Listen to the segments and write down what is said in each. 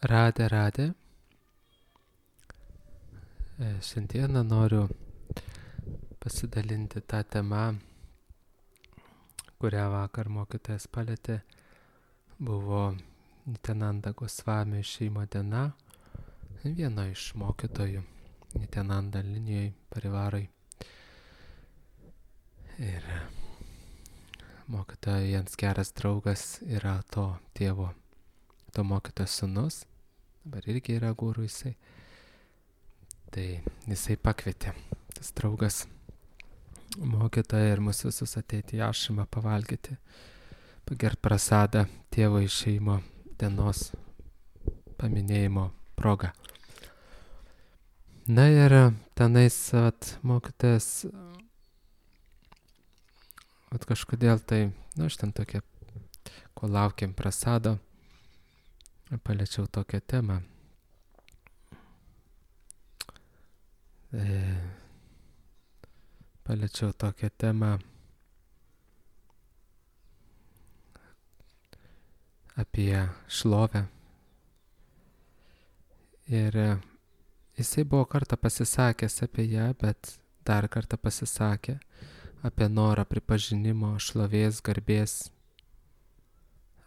Radė. Šiandieną noriu pasidalinti tą temą, kurią vakar mokytojas palėtė. Buvo Nityananda Gosvami šeimo diena, vieno iš mokytojų Nityananda linijai parivarai. Ir mokytojo jiems geras draugas yra to tėvo, to mokytojo sūnus, dabar irgi yra guru jisai. Tai jisai pakvietė, tas draugas, mokytoją ir mus visus ateiti į ašramą pavalgyti, pagert prasadą tėvo išėjimo dienos paminėjimo proga. Na ir tenais mokytojas, kažkodėl tai, aš ten tokia, ko laukiam prasado, paliečiau tokią temą. Paliečiau tokią temą apie šlovę. Ir jisai buvo kartą pasisakęs apie ją, bet dar kartą pasisakė apie norą pripažinimo, šlovės, garbės,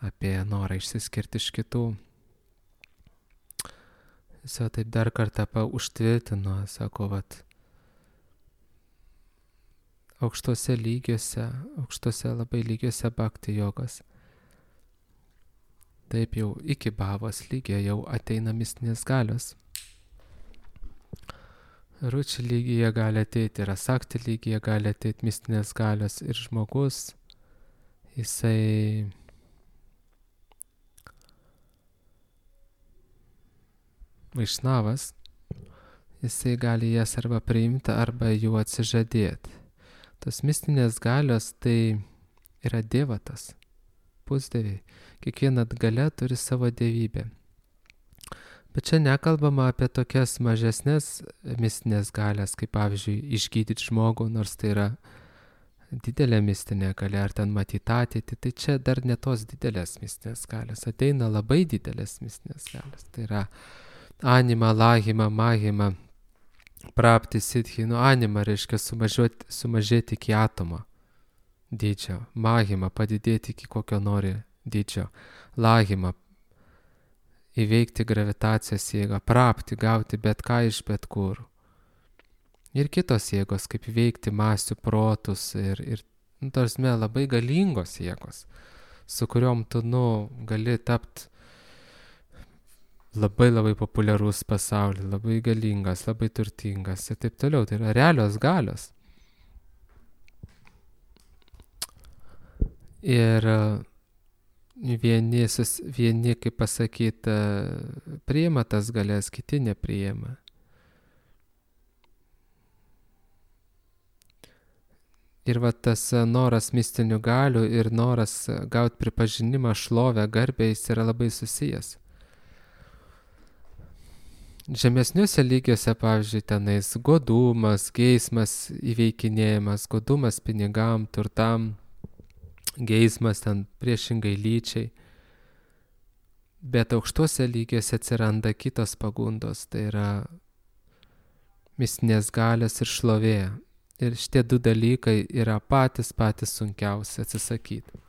apie norą išsiskirti iš kitų. Jis jau taip dar kartą užtvirtino, sako, aukštose labai lygiuose bhakti jogos. Taip jau iki bhavos lygio jau ateina mistinės galios. Ruči lygyje gali ateiti ir asakti lygyje gali ateiti mistinės galios ir žmogus, jisai vaišnavas, jisai gali jas arba priimti, arba jų atsižadėti. Tos mistinės galios tai yra dievatas, pusdieviai. Kiekviena galia turi savo dievybę. Bet čia nekalbama apie tokias mažesnės mistinės galias, kaip pavyzdžiui išgydyti žmogų, nors tai yra didelė mistinė galia, ar ten matyti ateitį, tai čia dar ne tos didelės mistinės galios. Ateina labai didelės mistinės galios. Tai yra anima, lahima, mahima, prapti, siddhi. Anima reiškia sumažėti iki atomo dydžio. Mahima padidėti iki kokio nori dydžio. Lahima įveikti gravitacijos jėgą. Prapti gauti bet ką iš bet kur. Ir kitos jėgos, kaip įveikti masių protus ir tarsme labai galingos jėgos, su kuriuom tu gali tapti labai populiarus pasaulyje, labai galingas, labai turtingas ir taip toliau. Tai yra realios galios. Ir vieni kaip pasakyti, priima tas galias, kiti nepriima. Ir tas noras mistinių galių ir noras gauti pripažinimą, šlovę, garbę, jis yra labai susijęs. Žemesniuose lygiuose, pavyzdžiui, tenais godumas, geismas įveikinėjimas, godumas pinigam, turtam, geismas ten priešingai lyčiai. Bet aukštuose lygiuose atsiranda kitos pagundos, tai yra mistinės galios ir šlovė. Ir šitie du dalykai yra patys sunkiausi atsisakyti.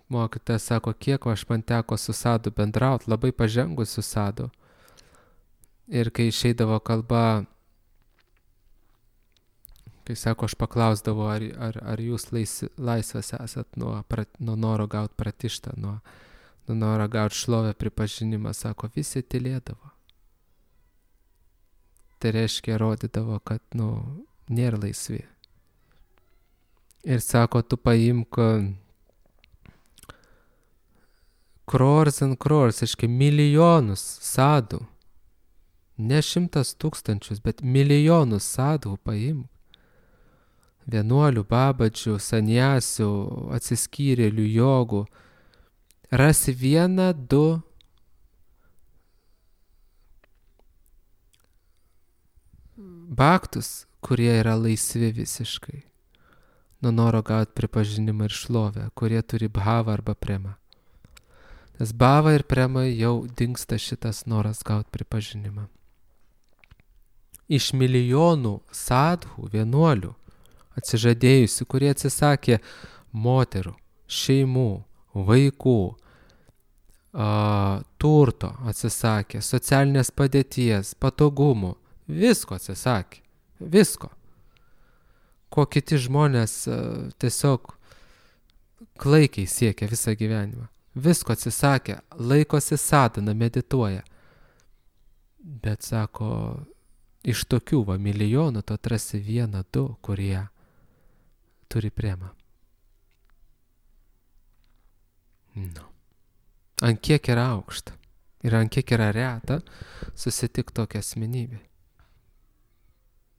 Mokytojas sako, kiek man teko su sadu bendrauti, labai pažengus su sadu. Ir kai išeidavo kalba, kai sako, aš paklausdavau, ar jūs laisvas esat nuo noro gauti pratištą, nuo noro gauti šlovę, pripažinimą, sako, visi tylėdavo. Tai reiškia, rodydavo, kad, nėra laisvi. Ir sako, tu paimk crores and crores, reiškia milijonus sadų. Ne 100 000, bet milijonus sadų paimk. Vienuolių, babadžių, saniasių, atsiskyrėlių, jogų. Rasi 1-2 bhaktus, kurie yra laisvi visiškai nuo noro gauti pripažinimą ir šlovę, kurie turi bhavą arba premą. Nes bhava ir prema jau dingsta šitas noras gauti pripažinimą. Iš milijonų sadhų, vienuolių, atsižadėjusių, kurie atsisakė moterų, šeimų, vaikų, turto atsisakė, socialinės padėties, patogumų, visko atsisakė, visko. Ko kiti žmonės tiesiog klaikiai siekia visą gyvenimą. Visko atsisakė, laikosi sadhana, medituoja. Bet sako, iš tokių milijonų tu atrasi 1-2, kurie turi premą. No. Ant kiek yra aukšta ir ant kiek yra reta susitik tokia asmenybė.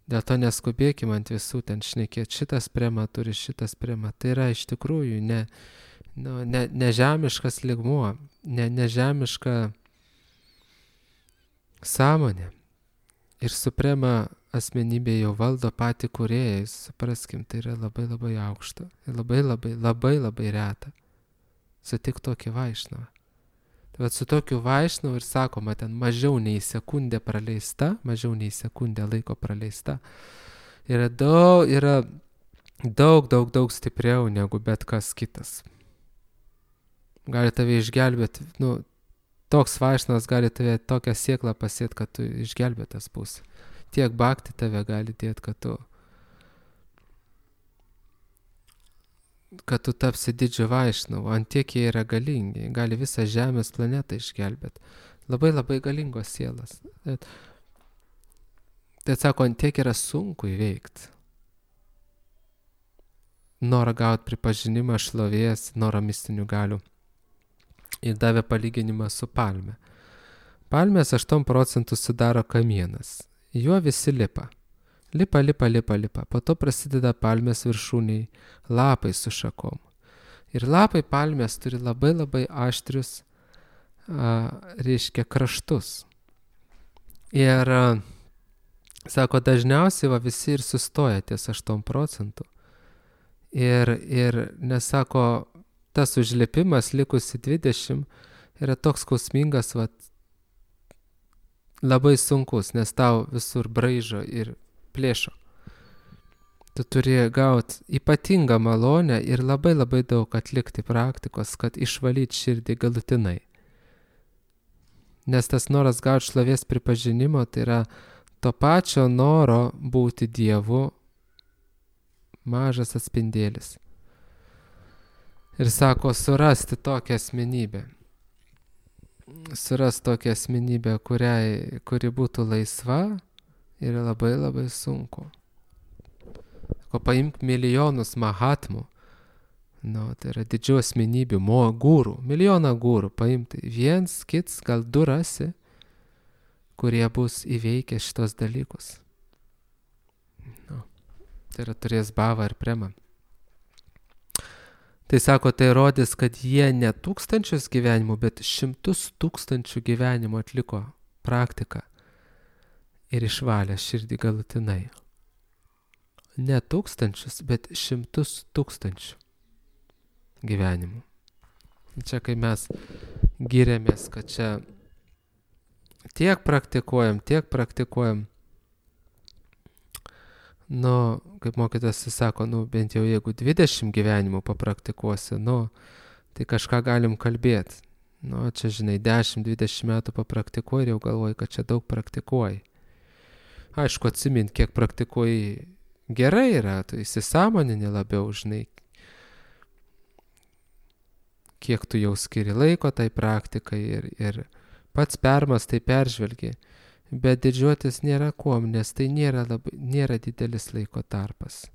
Dėl to neskubėkime ant visų ten šnekėti, šitas prema turi, šitas prema. Tai yra iš tikrųjų ne žemiškas lygmuo, ne žemiška sąmonė. Ir suprema asmenybė jau valdo patį kūrėją, supraskim, tai yra labai labai aukšta. Ir labai reta. Sutik tokį Vaišnavą. Tai vat su tokiu Vaišnavu ir sakoma, ten mažiau nei sekundė praleista, mažiau nei sekundė laiko praleista, yra daug stipriau negu bet kas kitas. Gali tave išgelbėti, toks Vaišnavas gali tave tokią sėklą pasėti, kad tu išgelbėtas būsi. Tiek bhakti tave gali dėti, kad tu tapsi didžiu Vaišnavu, ant tiek jie yra galingi, gali visą Žemės planetą išgelbėti. Labai galingos sielas. Tai sako, ant tiek yra sunku įveikti. Norą gauti pripažinimą, šlovės, norą mistinių galių. Ir davė palyginimą su palme. Palmės 8% sudaro kamienas. Juo visi lipa. Lipa. Po to prasideda palmės viršūniai lapai su šakom. Ir lapai palmės turi labai aštrius, kraštus. Ir, sako, dažniausiai visi ir sustoja ties 8%. Ir nesako, tas užlipimas likusi 20 yra toks skausmingas, labai sunkus, nes tau visur braižo ir plėšo. Tu turi gauti ypatingą malonę ir labai daug atlikti praktikos, kad išvalyti širdį galutinai. Nes tas noras gauti šlovės pripažinimo, tai yra to pačio noro būti Dievu mažas atspindėlis. Ir sako, surasti tokią asmenybę. Surasti tokią asmenybę, kuri būtų laisva, yra labai sunku. Ko paimk milijonus mahatmų, tai yra didžių asmenybių, gūrų, milijoną gūrų paimti. Viens, kits, gal 2 rasi, kurie bus įveikę šitos dalykus. Tai yra turės bhavą ir premą. Tai sako, tai rodys, kad jie ne 1000 gyvenimų, bet 100 000 gyvenimų atliko praktiką. Ir išvalė širdį galutinai. Ne 1000, bet 100 000 gyvenimų. Čia kai mes giriamės, kad čia tiek praktikuojam, kaip mokytas sako, bent jau jeigu 20 gyvenimų papraktikuosi, tai kažką galim kalbėti. Čia, žinai, 10-20 metų papraktikuoji ir jau galvoji, kad čia daug praktikuoji. Aišku, atsimint, kiek praktikuoji gerai yra, tu įsisąmonini labiau, žinai, kiek tu jau skiri laiko tai praktikai ir pats permastai, peržvelgi. Bet didžiuotis nėra kuom, nes tai nėra didelis laiko tarpas.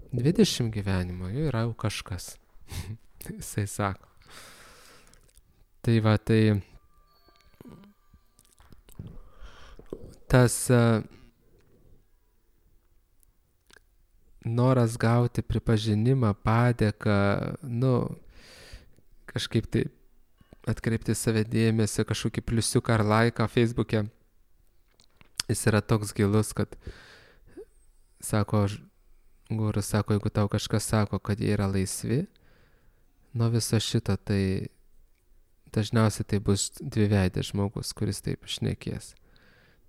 20 gyvenimo jau yra kažkas. Jisai sako. Tai tas noras gauti pripažinimą, padėką, kažkaip tai atkreipti save dėmesį, kažkokį pliusiuką ar laiką Facebook'e, jis yra toks gilus, kad sako, gurus sako, jeigu tau kažkas sako, kad jie yra laisvi nuo viso šito, tai dažniausiai tai bus dviveidės žmogus, kuris taip šnekės.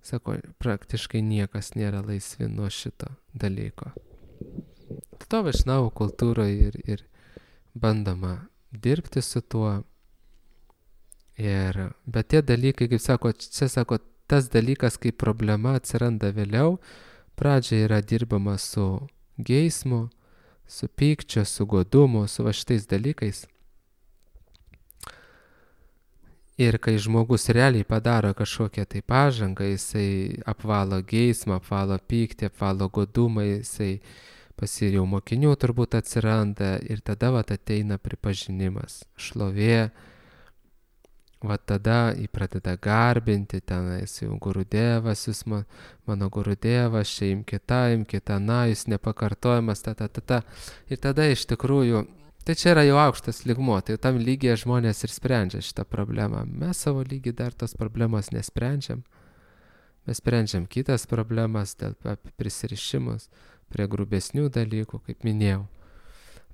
Sako, praktiškai niekas nėra laisvi nuo šito dalyko. To Vaišnavų kultūroje ir bandoma dirbti su tuo. Bet tie dalykai, kaip sako, čia sako, tas dalykas, kaip problema atsiranda vėliau, pradžioje yra dirbama su geismu, su pykčiu, su godumu, su va šitais dalykais. Ir kai žmogus realiai padaro kažkokią tai pažangą, jisai apvalo geismą, apvalo pyktį, apvalo godumą, jisai pasiriau mokinių turbūt atsiranda ir tada vat ateina pripažinimas, šlovė, vat tada jį pradeda garbinti, tenais jau Gurudevas, jūs mano Gurudevas, čia imkite, na, jūs nepakartojamas, Ir tada iš tikrųjų, tai čia yra jau aukštas lygmuo, tai tam lygyje žmonės ir sprendžia šitą problemą. Mes savo lygy dar tos problemos nesprendžiam. Mes sprendžiam kitas problemas dėl prisirišimus prie grubesnių dalykų, kaip minėjau.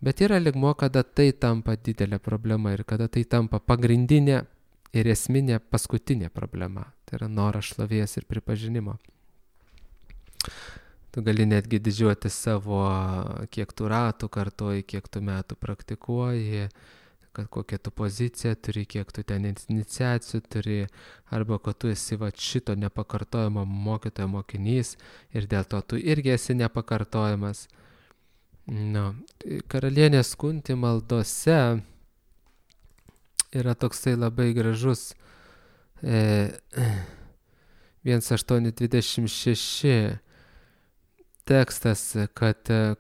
Bet yra lygmuo, kada tai tampa didelė problema ir kada tai tampa pagrindinė ir esminė paskutinė problema. Tai yra noras šlovės ir pripažinimo. Tu gali netgi didžiuoti savo, kiek tu ratų kartoji, kiek tu metų praktikuoji, kad kokią tu poziciją turi, kiek tu ten iniciacijų turi, arba kad tu esi va šito nepakartojamo mokytojo mokinys ir dėl to tu irgi esi nepakartojamas. Karalienės Kunti maldose yra toksai labai gražus 1.8.26 tekstas,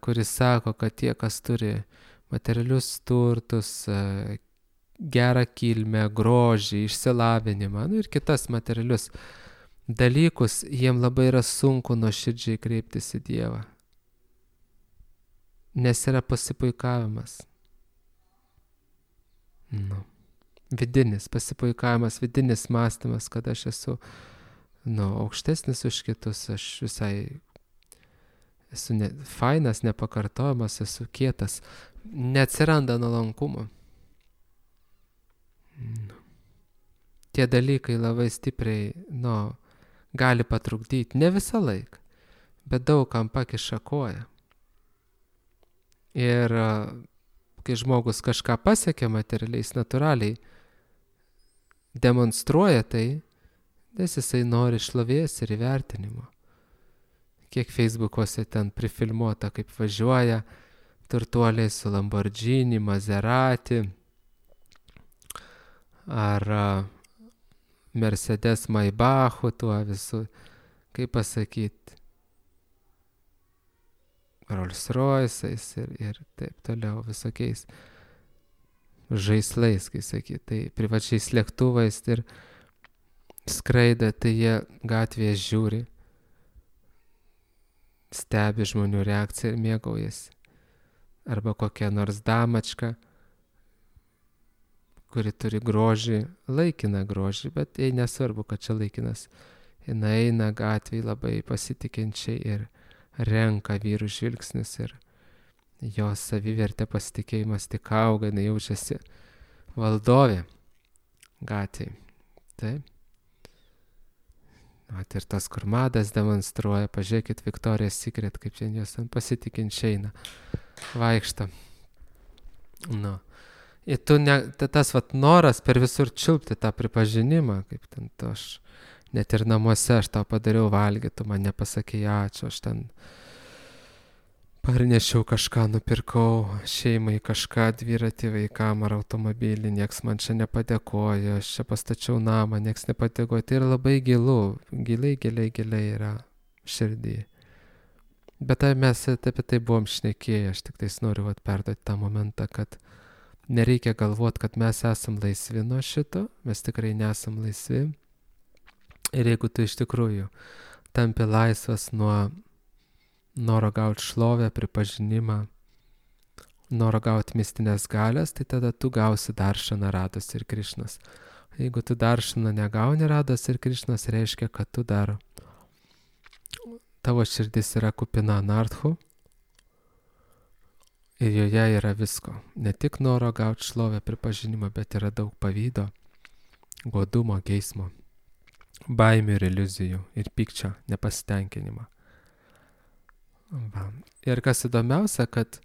kuris sako, kad tie, kas turi materialius turtus, gerą kilmę, grožį, išsilavinimą, ir kitas materialius dalykus, jiem labai yra sunku nuoširdžiai kreiptis į Dievą. Nes yra pasipuikavimas. Vidinis pasipuikavimas, vidinis mąstymas, kad aš esu aukštesnis už kitus, aš visai esu fainas, nepakartojamas, esu kietas. Neatsiranda nuolankumo. Tie dalykai labai stipriai, gali patrukdyti. Ne visą laiką, bet daug kam pakiša koją. Ir kai žmogus kažką pasiekia materialiais, natūraliai demonstruoja tai, nes jisai nori šlovės ir įvertinimo. Kiek Facebook'ose ten prifilmuota, kaip važiuoja turtuoliai su Lamborghini, Maserati ar Mercedes Maybachu, tuo visu, kaip pasakyti, Rolls Royce'ais ir taip toliau visokiais žaislais, kai sakyti, tai privačiais lėktuvais ir skraida, tai jie gatvėje žiūri, stebi žmonių reakciją ir mėgaujasi. Arba kokia nors damačka, kuri turi grožį, laikiną grožį, bet jai nesvarbu, kad čia laikinas. Jis eina gatvėje labai pasitikinčiai ir renka vyrų žvilgsnis ir jos savivertė, pasitikėjimas tik auga, jinai jaučiasi valdovė gatvėje. Taip. Ir tas, kur madas demonstruoja, pažiūrėkit Victoria's Secret, kaip čia jos pasitikinčiai eina, vaikšto. Ir tas noras per visur čiulpti tą pripažinimą, kaip ten to aš, net ir namuose aš tau padariau valgyti, tu man nepasakei ačiū, aš ten parnešiau kažką, nupirkau šeimai kažką, dviratį vaikam ar automobilį, nieks man čia nepadėkoja, aš čia pastačiau namą, nieks nepadėkoja. Tai yra labai giliai yra širdį. Bet mes apie tai buvom šnekėję, aš tik tais noriu perduoti tą momentą, kad nereikia galvoti, kad mes esam laisvi nuo šito, mes tikrai nesam laisvi. Ir jeigu tu iš tikrųjų tampi laisvas nuo noro gauti šlovę, pripažinimą, noro gauti mistinės galias, tai tada tu gausi Daršaną, Rados ir Krišnos. Jeigu tu Daršaną negauni, Rados ir Krišnos, reiškia, kad tu dar tavo širdis yra kupina anarchų ir joje yra visko. Ne tik noro gauti šlovę, pripažinimą, bet yra daug pavydo, godumo, geismo, baimių ir iliuzijų ir pykčio, nepasitenkinimo. Va. Ir kas įdomiausia, kad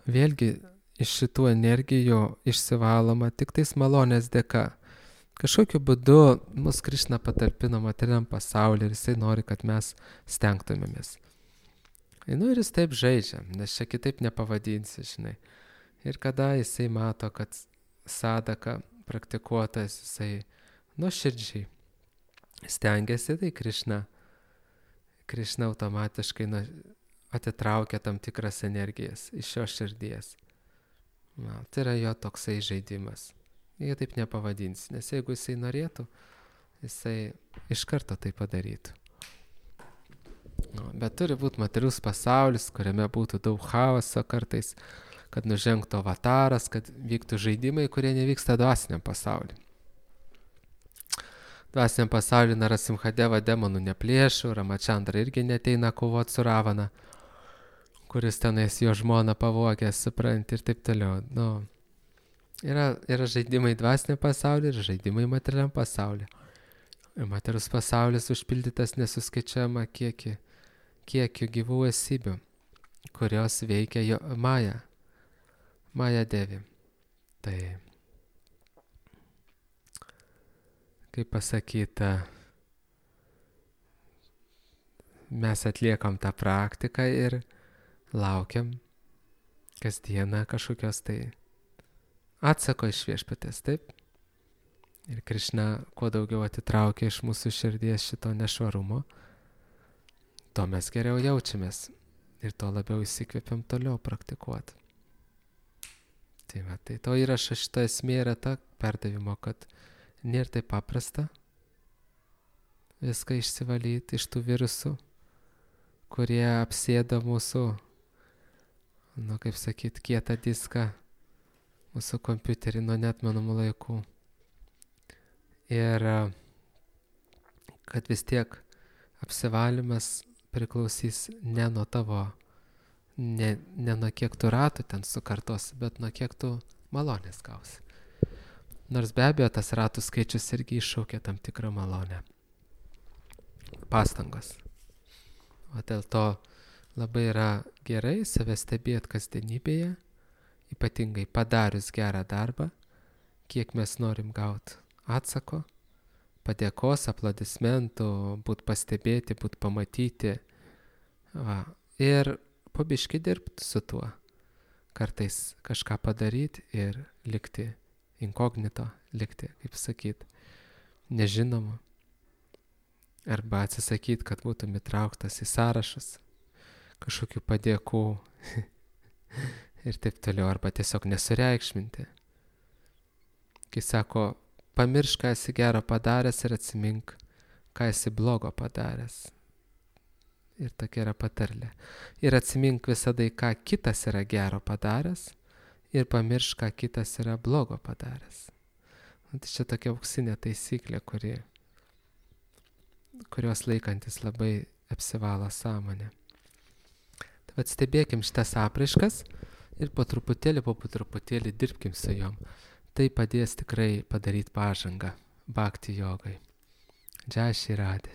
vėlgi iš šitų energijų išsivaloma tik tais malonės dėka. Kažkokiu būdu mus Krišna patalpino materialiam pasaulyje ir jisai nori, kad mes stengtumėmės. Ir jis taip žaidžia, nes čia kitaip nepavadinsi, žinai. Ir kada jisai mato, kad sadaka praktikuotas, jisai nuoširdžiai stengiasi, tai Krišna automatiškai atitraukia tam tikras energijas iš jo širdies. Tai yra jo toksai žaidimas. Jie taip nepavadins, nes jeigu jisai norėtų, jisai iš karto tai padarytų. Bet turi būti materialus pasaulis, kuriame būtų daug chaoso kartais, kad nužengtų avataras, kad vyktų žaidimai, kurie nevyksta dvasiniam pasauliu. Dvasiniam pasauliu Narasimhadeva demonų neplėšų, Ramachandra irgi neteina kovoti su Ravana, kuris tenais jo žmoną pavogė, supranti, ir taip toliau. Yra žaidimai dvasiniam pasauliu ir žaidimai materialiam pasauliu. Ir materialus pasaulis užpildytas nesuskaičiuojama kiekiu gyvų esybių, kurios veikia jo Maja Devi. Tai, kaip pasakyta, mes atliekam tą praktiką ir laukiam kasdieną kažkokios tai atsako iš viešpatės, taip? Ir Krišna kuo daugiau atitraukia iš mūsų širdies šito nešvarumo, to mes geriau jaučiamės ir to labiau įsikvėpiam toliau praktikuoti. Tai to įrašo šita esmė yra ta perdavimo, kad nėra taip paprasta viską išsivalyti iš tų virusų, kurie apsėda mūsų, kaip sakyt, kietą diską, mūsų kompiuterį nuo neatmenamų laikų. Ir kad vis tiek apsivalymas priklausys ne nuo tavo, ne nuo kiek tu ratų ten sukartosi, bet nuo kiek tu malonės gausi. Nors be abejo tas ratų skaičius irgi iššaukia tam tikrą malonę. Pastangos. O dėl to labai yra gerai save stebėti kasdienybėje, ypatingai padarius gerą darbą, kiek mes norim gauti atsako, padėkos, aplodismentų, būt pastebėti, būt pamatyti. Ir po biškį dirbti su tuo. Kartais kažką padaryti ir likti inkognito, likti, kaip sakyt, nežinomu. Arba atsisakyti, kad būtum įtrauktas į sąrašus kažkokių padėkų ir taip toliau, arba tiesiog nesureikšminti. Kai sako, pamiršk, ką esi gero padaręs ir atsimink, ką esi blogo padaręs. Ir tokia yra patarlė. Ir atsimink visada, ką kitas yra gero padaręs ir pamiršk, ką kitas yra blogo padaręs. Tai čia tokia auksinė taisyklė, kurios laikantis labai apsivalo sąmonę. Tai stebėkim šitas apraiškas ir po truputėlį dirbkim su jom. Tai padės tikrai padaryti pažangą bhakti jogai. Jai Shri Radhe.